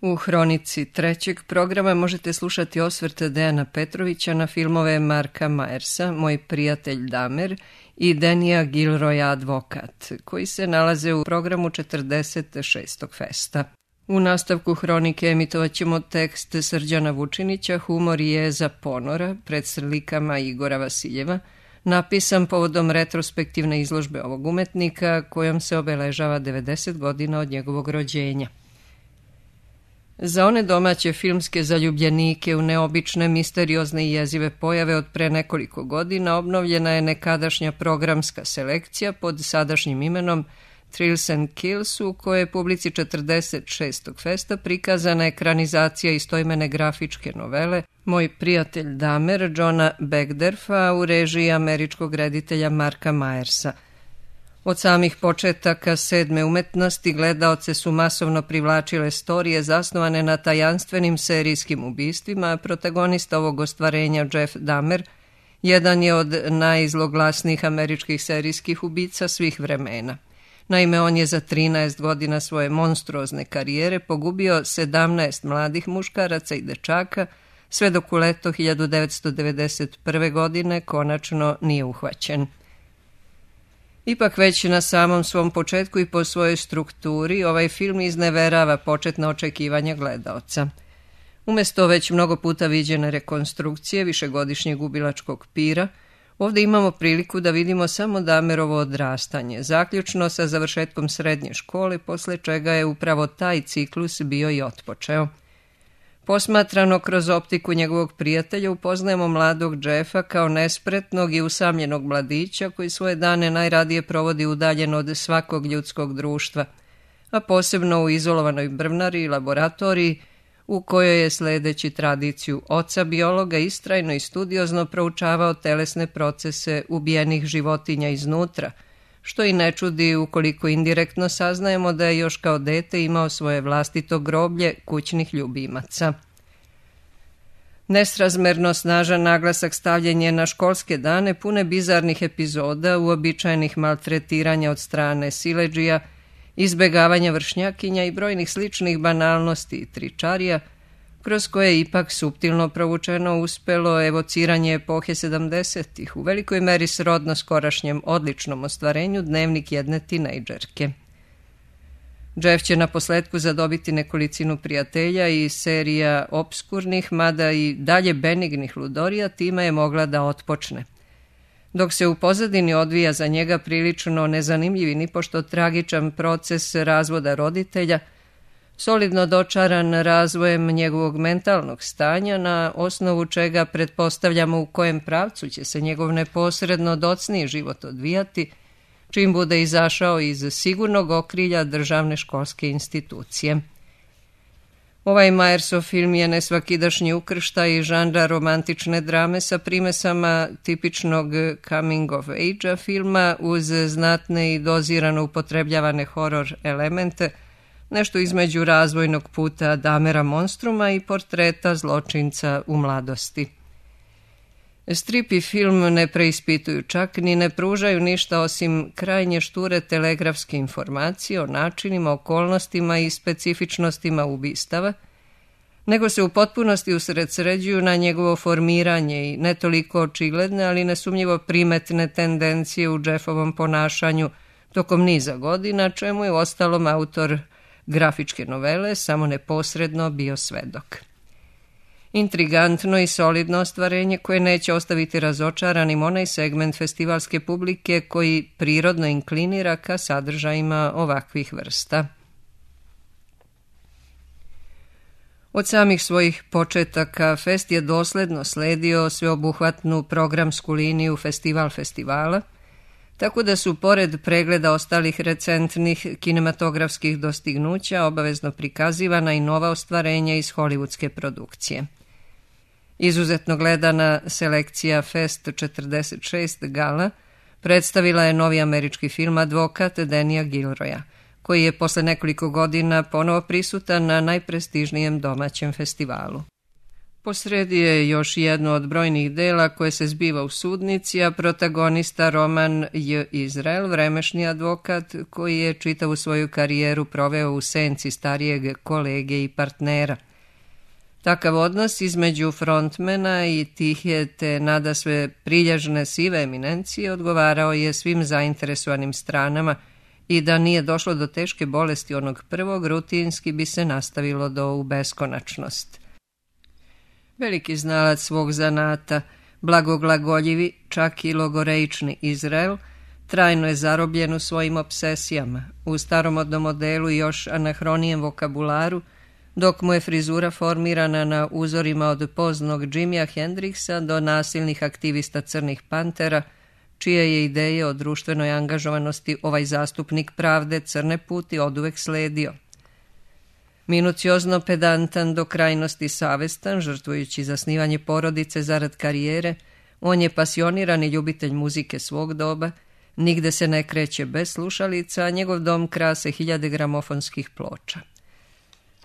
U hronici trećeg programa možete slušati osvrt Dejana Petrovića na filmove Marka Majersa, Moj prijatelj Damer i Denija Gilroya Advokat, koji se nalaze u programu 46. festa. U nastavku hronike emitovat ćemo tekst Srđana Vučinića Humor i jeza ponora pred slikama Igora Vasiljeva, napisan povodom retrospektivne izložbe ovog umetnika kojom se obeležava 90 godina od njegovog rođenja. Za one domaće filmske zaljubljenike u neobične, misteriozne i jezive pojave od pre nekoliko godina obnovljena je nekadašnja programska selekcija pod sadašnjim imenom Thrills and Kills, u kojoj je publici 46. festa prikazana ekranizacija istoimene grafičke novele Moj prijatelj Damer Johna Begderfa u režiji američkog reditelja Marka Majersa. Od samih početaka sedme umetnosti gledaoce su masovno privlačile storije zasnovane na tajanstvenim serijskim ubistvima, a protagonista ovog ostvarenja Jeff Dahmer jedan je od najzloglasnijih američkih serijskih ubica svih vremena. Naime, on je za 13 godina svoje monstruozne karijere pogubio 17 mladih muškaraca i dečaka, sve dok u leto 1991. godine konačno nije uhvaćen. Ipak već na samom svom početku i po svojoj strukturi ovaj film izneverava početna očekivanja gledaoca. Umesto već mnogo puta viđene rekonstrukcije višegodišnjeg ubilačkog pira, ovdje imamo priliku da vidimo samo Dahmerovo odrastanje, zaključno sa završetkom srednje škole, posle čega je upravo taj ciklus bio i otpočeo. Posmatrano kroz optiku njegovog prijatelja upoznajemo mladog Jeffa kao nespretnog i usamljenog mladića koji svoje dane najradije provodi udaljen od svakog ljudskog društva, a posebno u izolovanoj brvnari i laboratoriji u kojoj je sledeći tradiciju oca biologa istrajno i studiozno proučavao telesne procese ubijenih životinja iznutra, što i ne čudi ukoliko indirektno saznajemo da je još kao dete imao svoje vlastito groblje kućnih ljubimaca. Nesrazmerno snažan naglasak stavljen je na školske dane pune bizarnih epizoda, uobičajenih maltretiranja od strane siledžija, izbegavanja vršnjakinja i brojnih sličnih banalnosti i tričarija, kroz koje je ipak suptilno provučeno uspelo evociranje epohe 70-ih, u velikoj meri srodno skorašnjem odličnom ostvarenju Dnevnik jedne tinejdžerke. Jeff će na posledku zadobiti nekolicinu prijatelja i serija obskurnih, mada i dalje benignih ludorija time je mogla da otpočne. Dok se u pozadini odvija za njega prilično nezanimljiv i nipošto tragičan proces razvoda roditelja, solidno dočaran razvojem njegovog mentalnog stanja, na osnovu čega pretpostavljamo u kojem pravcu će se njegov neposredno docniji život odvijati, čim bude izašao iz sigurnog okrilja državne školske institucije. Ovaj Majersov film je nesvakidašnji ukrštaj žanra romantične drame sa primesama tipičnog coming of age filma uz znatne i dozirano upotrebljavane horor elemente, nešto između razvojnog puta Dahmera monstruma i portreta zločinca u mladosti. Strip i film ne preispituju čak ni ne pružaju ništa osim krajnje šture telegrafske informacije o načinima, okolnostima i specifičnostima ubistava, nego se u potpunosti usredsređuju na njegovo formiranje i ne toliko očigledne, ali nesumnjivo primetne tendencije u Jeffovom ponašanju tokom niza godina, čemu je uostalom autor grafičke novele samo neposredno bio svedok. Intrigantno i solidno ostvarenje koje neće ostaviti razočaranim onaj segment festivalske publike koji prirodno inklinira ka sadržajima ovakvih vrsta. Od samih svojih početaka fest je dosledno sledio sveobuhvatnu programsku liniju festivala, tako da su pored pregleda ostalih recentnih kinematografskih dostignuća obavezno prikazivana i nova ostvarenja iz hollywoodske produkcije. Izuzetno gledana selekcija Fest 46 gala predstavila je novi američki film Advokat Denija Gilroya, koji je posle nekoliko godina ponovo prisutan na najprestižnijem domaćem festivalu. Posredi je još jedno od brojnih dela koje se zbiva u sudnici, a protagonista Roman J. Izrael, vremešni advokat koji je čitavu svoju karijeru proveo u senci starijeg kolege i partnera. Takav odnos između frontmena i tihe te nadasve prilježne sive eminencije odgovarao je svim zainteresovanim stranama i da nije došlo do teške bolesti onog prvog, rutinski bi se nastavilo do u beskonačnost. Veliki znalac svog zanata, blagoglagoljivi, čak i logoreični Izrael, trajno je zarobljen u svojim obsesijama, u staromodnom modelu i još anahronijem vokabularu, dok mu je frizura formirana na uzorima od poznog Jimija Hendrixa do nasilnih aktivista Crnih pantera, čije je ideje o društvenoj angažovanosti ovaj zastupnik pravde crne puti oduvek sledio. Minuciozno pedantan, do krajnosti savestan, žrtvujući zasnivanje porodice zarad karijere, on je pasionirani ljubitelj muzike svog doba, nigde se ne kreće bez slušalica, a njegov dom krase 1000 gramofonskih ploča.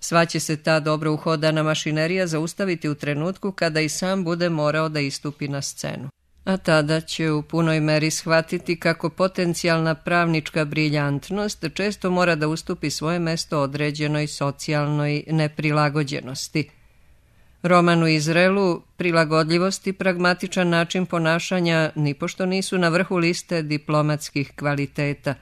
Sva će se ta dobro uhodana mašinerija zaustaviti u trenutku kada i sam bude morao da istupi na scenu. A tada će u punoj meri shvatiti kako potencijalna pravnička briljantnost često mora da ustupi svoje mesto određenoj socijalnoj neprilagođenosti. Romanu Izraelu prilagodljivost i pragmatičan način ponašanja nipošto nisu na vrhu liste diplomatskih kvaliteta,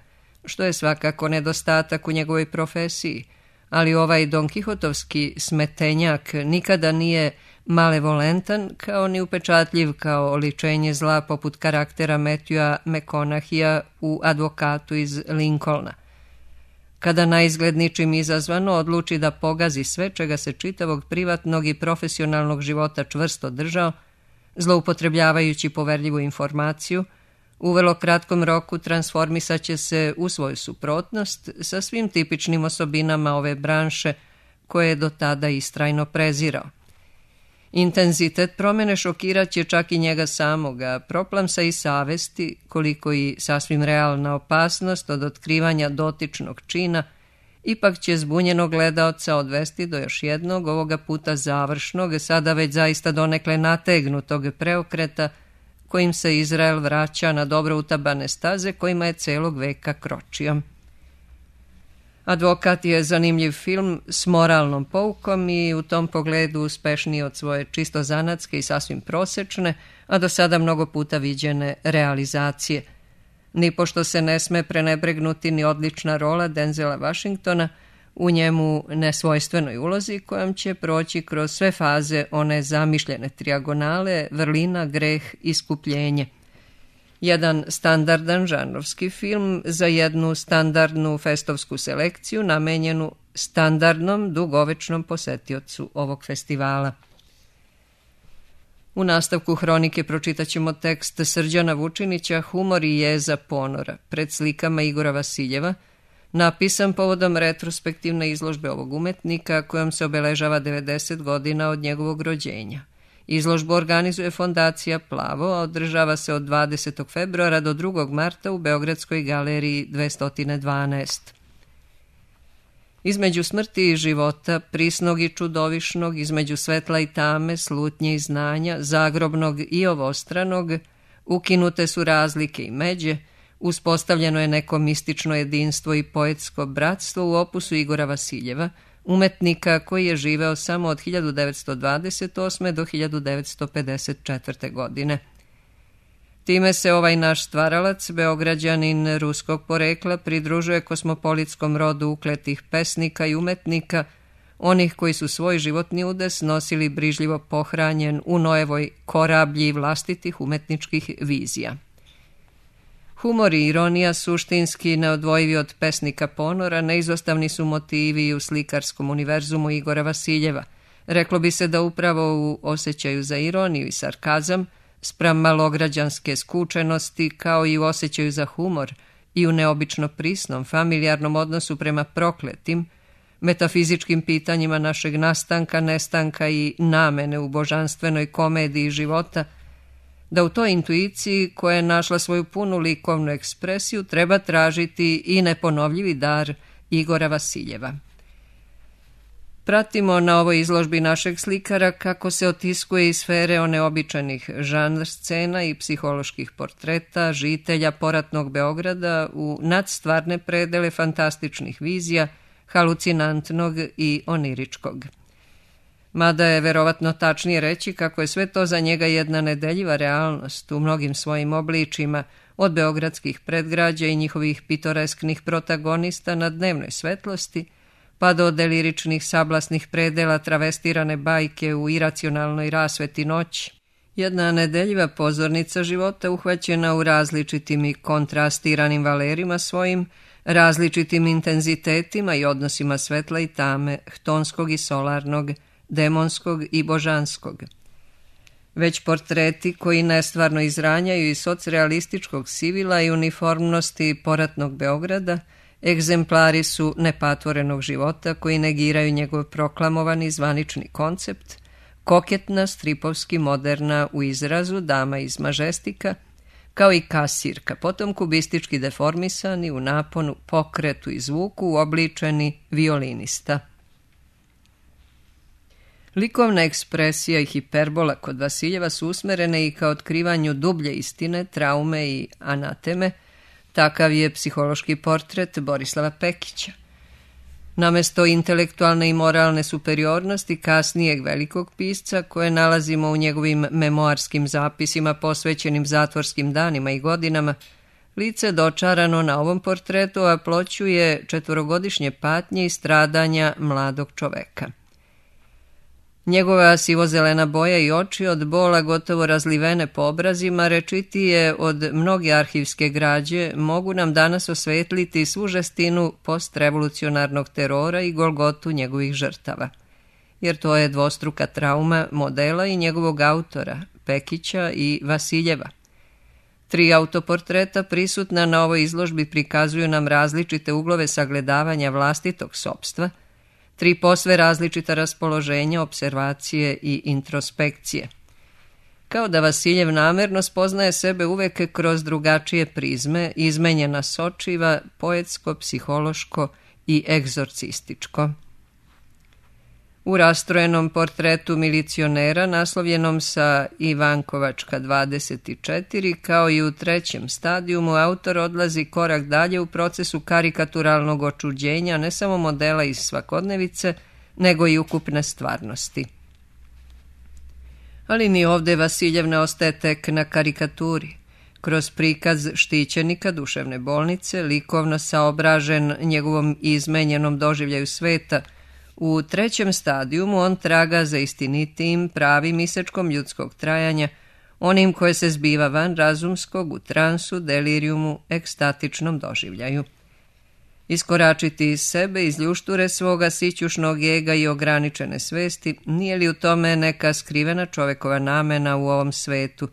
što je svakako nedostatak u njegovoj profesiji, ali ovaj Don Kihotovski smetenjak nikada nije malevolentan kao ni upečatljiv kao oličenje zla poput karaktera Matthewa McConaugheyja u Advokatu iz Lincolna. Kada naizgled ničim izazvano odluči da pogazi sve čega se čitavog privatnog i profesionalnog života čvrsto držao, zloupotrebljavajući poverljivu informaciju, u vrlo kratkom roku transformisat će se u svoju suprotnost sa svim tipičnim osobinama ove branše koje je do tada istrajno prezirao. Intenzitet promjene šokirat će čak i njega samoga, proplamsa i savesti, koliko i sasvim realna opasnost od otkrivanja dotičnog čina, ipak će zbunjenog gledaoca odvesti do još jednog, ovoga puta završnog, sada već zaista donekle nategnutog preokreta, kojim se Izrael vraća na dobro utabane staze kojima je celog veka kročio. Advokat je zanimljiv film s moralnom poukom i u tom pogledu uspešniji od svoje čisto zanatske i sasvim prosečne, a do sada mnogo puta viđene realizacije. Nipošto se ne sme prenebregnuti ni odlična rola Denzela Washingtona u njemu nesvojstvenoj ulozi kojom će proći kroz sve faze one zamišljene trijagonale, vrlina, greh, iskupljenje. Jedan standardan žanrovski film za jednu standardnu festovsku selekciju namenjenu standardnom dugovečnom posetiocu ovog festivala. U nastavku hronike pročitat ćemo tekst Srđana Vučinića Humor i jeza ponora pred slikama Igora Vasiljeva, napisan povodom retrospektivne izložbe ovog umetnika kojom se obeležava 90 godina od njegovog rođenja. Izložbu organizuje Fondacija Plavo, a održava se od 20. februara do 2. marta u Beogradskoj galeriji 212. Između smrti i života, prisnog i čudovišnog, između svetla i tame, slutnje i znanja, zagrobnog i ovostranog, ukinute su razlike i međe, uspostavljeno je neko mistično jedinstvo i poetsko bratstvo u opusu Igora Vasiljeva, umetnika koji je živeo samo od 1928. do 1954. godine. Time se ovaj naš stvaralac, Beograđanin ruskog porekla, pridružuje kosmopolitskom rodu ukletih pesnika i umetnika, onih koji su svoj životni udes nosili brižljivo pohranjen u Noevoj korablji vlastitih umetničkih vizija. Humor i ironija, suštinski neodvojivi od pesnika ponora, neizostavni su motivi u slikarskom univerzumu Igora Vasiljeva. Reklo bi se da upravo u osjećaju za ironiju i sarkazam, spram malograđanske skučenosti, kao i u osjećaju za humor i u neobično prisnom, familijarnom odnosu prema prokletim, metafizičkim pitanjima našeg nastanka, nestanka i namene u božanstvenoj komediji života, da u toj intuiciji koja je našla svoju punu likovnu ekspresiju treba tražiti i neponovljivi dar Igora Vasiljeva. Pratimo na ovoj izložbi našeg slikara kako se otiskuje iz sfere oneobičajnih žanr scena i psiholoških portreta žitelja poratnog Beograda u nadstvarne predele fantastičnih vizija, halucinantnog i oniričkog. Mada je verovatno tačnije reći kako je sve to za njega jedna nedeljiva realnost u mnogim svojim obličima, od beogradskih predgrađa i njihovih pitoresknih protagonista na dnevnoj svetlosti, pa do deliričnih sablasnih predela travestirane bajke u iracionalnoj rasveti noći. Jedna nedeljiva pozornica života uhvaćena u različitim i kontrastiranim valerima svojim, različitim intenzitetima i odnosima svetla i tame, htonskog i solarnog, demonskog i božanskog. Već portreti koji nestvarno izranjaju iz socrealističkog sivila i uniformnosti poratnog Beograda, egzemplari su nepatvorenog života koji negiraju njegov proklamovani zvanični koncept, koketna, stripovski moderna u izrazu dama iz Mažestika, kao i kasirka, potom kubistički deformisani u naponu, pokretu i zvuku uobličeni violinista. Likovna ekspresija i hiperbola kod Vasiljeva su usmerene i ka otkrivanju dublje istine, traume i anateme. Takav je psihološki portret Borislava Pekića. Namesto intelektualne i moralne superiornosti kasnijeg velikog pisca, koje nalazimo u njegovim memoarskim zapisima posvećenim zatvorskim danima i godinama, lice dočarano na ovom portretu aploćuje 4-godišnje patnje i stradanja mladog čoveka. Njegova sivozelena boja i oči od bola gotovo razlivene po obrazima, rečitije od mnoge arhivske građe, mogu nam danas osvetliti svu žestinu postrevolucionarnog terora i golgotu njegovih žrtava. Jer to je dvostruka trauma modela i njegovog autora, Pekića i Vasiljeva. 3 autoportreta prisutna na ovoj izložbi prikazuju nam različite uglove sagledavanja vlastitog sopstva, 3 posve različita raspoloženja, observacije i introspekcije. Kao da Vasiljev namerno spoznaje sebe uvek kroz drugačije prizme, izmenjena sočiva, poetsko, psihološko i egzorcističko. U rastrojenom portretu milicionera, naslovljenom sa Ivankovačka 24, kao i u 3. stadijumu, autor odlazi korak dalje u procesu karikaturalnog očuđenja ne samo modela iz svakodnevice, nego i ukupne stvarnosti. Ali ni ovde Vasiljev ne ostaje tek na karikaturi. Kroz prikaz štićenika duševne bolnice, likovno saobražen njegovom izmenjenom doživljaju sveta, u 3. stadijumu on traga za istinitijim, pravim isečkom ljudskog trajanja, onim koje se zbiva van razumskog, u transu, delirijumu, ekstatičnom doživljaju. Iskoračiti iz sebe, iz ljušture svoga sićušnog ega i ograničene svesti, nije li u tome neka skrivena čovekova namena u ovom svetu?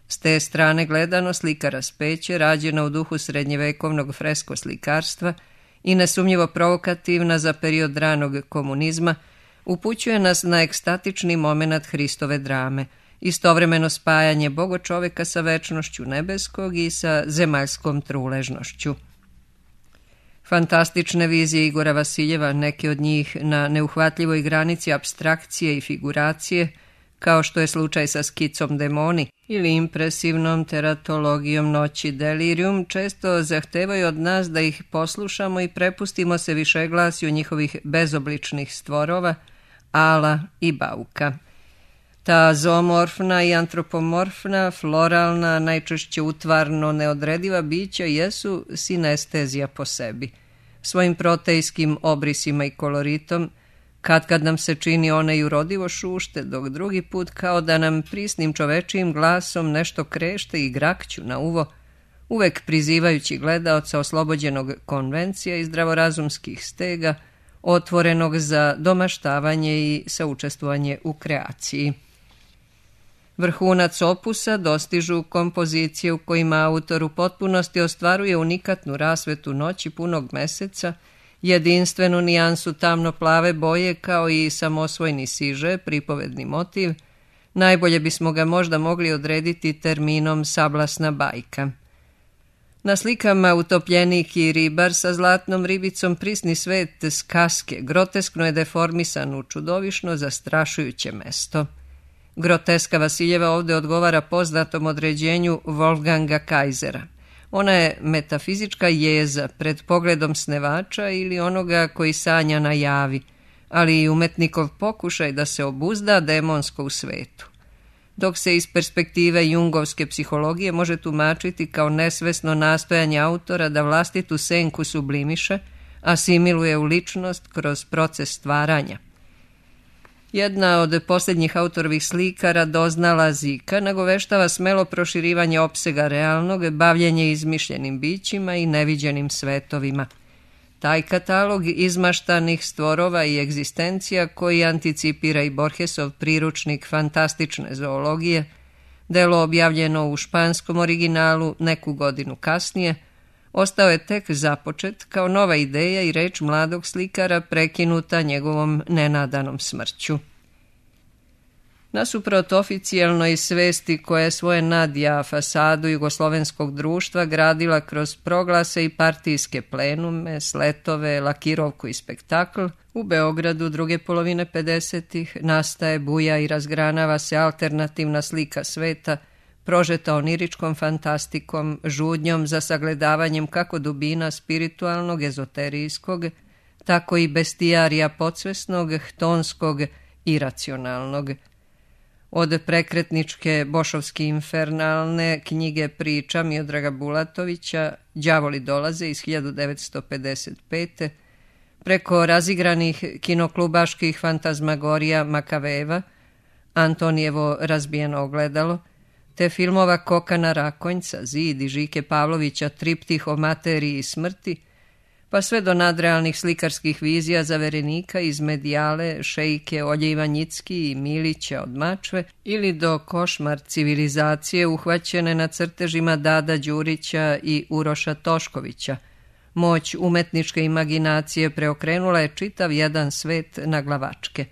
S te strane gledano, slika raspeće, rađena u duhu srednjevekovnog fresko slikarstva i nesumnjivo provokativna za period ranog komunizma, upućuje nas na ekstatični moment Hristove drame, istovremeno spajanje bogočoveka sa večnošću nebeskog i sa zemaljskom truležnošću. Fantastične vizije Igora Vasiljeva, neke od njih na neuhvatljivoj granici apstrakcije i figuracije, kao što je slučaj sa skicom Demoni ili impresivnom teratologijom Noći Delirium, često zahtevaju od nas da ih poslušamo i prepustimo se višeglasju njihovih bezobličnih stvorova, ala i bauka. Ta zoomorfna i antropomorfna, floralna, najčešće utvarno neodrediva bića jesu sinestezija po sebi. Svojim protejskim obrisima i koloritom, kad nam se čini one i urodivo šušte, dok drugi put kao da nam prisnim čovečijim glasom nešto krešte i grakću na uvo, uvek prizivajući gledaoca oslobođenog konvencija i zdravorazumskih stega, otvorenog za domaštavanje i saučestvovanje u kreaciji. Vrhunac opusa dostižu kompozicije u kojima autor u potpunosti ostvaruje unikatnu rasvetu noći punog meseca, jedinstvenu nijansu tamno-plave boje kao i samosvojni siže, pripovedni motiv. Najbolje bismo ga možda mogli odrediti terminom sablasna bajka. Na slikama utopljenik i ribar sa zlatnom ribicom prisni svet skaske groteskno je deformisan u čudovišno zastrašujuće mesto. Groteska Vasiljeva ovdje odgovara poznatom određenju Wolfganga Kaisera. Ona je metafizička jeza pred pogledom snevača ili onoga koji sanja na javi, ali i umetnikov pokušaj da se obuzda demonsko u svetu. Dok se iz perspektive jungovske psihologije može tumačiti kao nesvesno nastojanje autora da vlastitu senku sublimiše, asimiluje u ličnost kroz proces stvaranja. Jedna od posljednjih autorovih slika, Radoznala Zika, nagoveštava smelo proširivanje opsega realnog, bavljenje izmišljenim bićima i neviđenim svetovima. Taj katalog izmaštanih stvorova i egzistencija koji anticipira i Borgesov priručnik fantastične zoologije, delo objavljeno u španskom originalu neku godinu kasnije, ostao je tek započet kao nova ideja i reč mladog slikara prekinuta njegovom nenadanom smrću. Nasuprot oficijelnoj svesti koja je svoje nadja fasadu jugoslovenskog društva gradila kroz proglase i partijske plenume, sletove, lakirovku i spektakl, u Beogradu druge polovine 50-ih nastaje, buja i razgranava se alternativna slika sveta, prožeta oniričkom fantastikom, žudnjom za sagledavanjem kako dubina spiritualnog, ezoterijskog, tako i bestijarija podsvesnog, htonskog, iracionalnog. Od prekretničke bošovski infernalne knjige priča Miodraga Bulatovića Đavoli dolaze iz 1955. preko razigranih kinoklubaških fantazmagorija Makaveva, Antonijevo razbijeno ogledalo, te filmova Kokana Rakonjca, Zid i Žike Pavlovića Triptih o materiji i smrti, pa sve do nadrealnih slikarskih vizija Zaverenika iz Medijale, Šejke, Olje Ivanjicki i Milića od Mačve, ili do košmar civilizacije uhvaćene na crtežima Dada Đurića i Uroša Toškovića. Moć umetničke imaginacije preokrenula je čitav jedan svet na glavačke.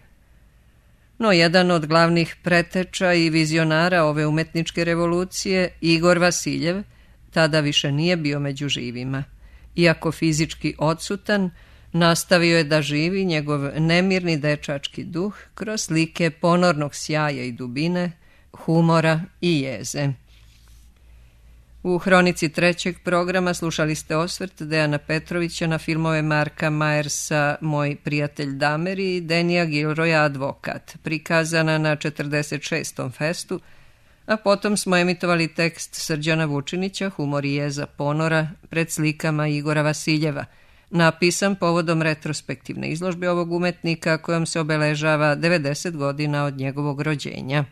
No jedan od glavnih preteča i vizionara ove umetničke revolucije, Igor Vasiljev, tada više nije bio među živima. Iako fizički odsutan, nastavio je da živi njegov nemirni dečački duh kroz slike ponornog sjaja i dubine, humora i jeze. U hronici trećeg programa slušali ste osvrt Dejana Petrovića na filmove Marka Majersa Moj prijatelj Damer i Denija Gilroya Advokat, prikazana na 46. festu, a potom smo emitovali tekst Srđana Vučinića, Humor i jeza ponora, pred slikama Igora Vasiljeva, napisan povodom retrospektivne izložbe ovog umetnika kojom se obeležava 90 godina od njegovog rođenja.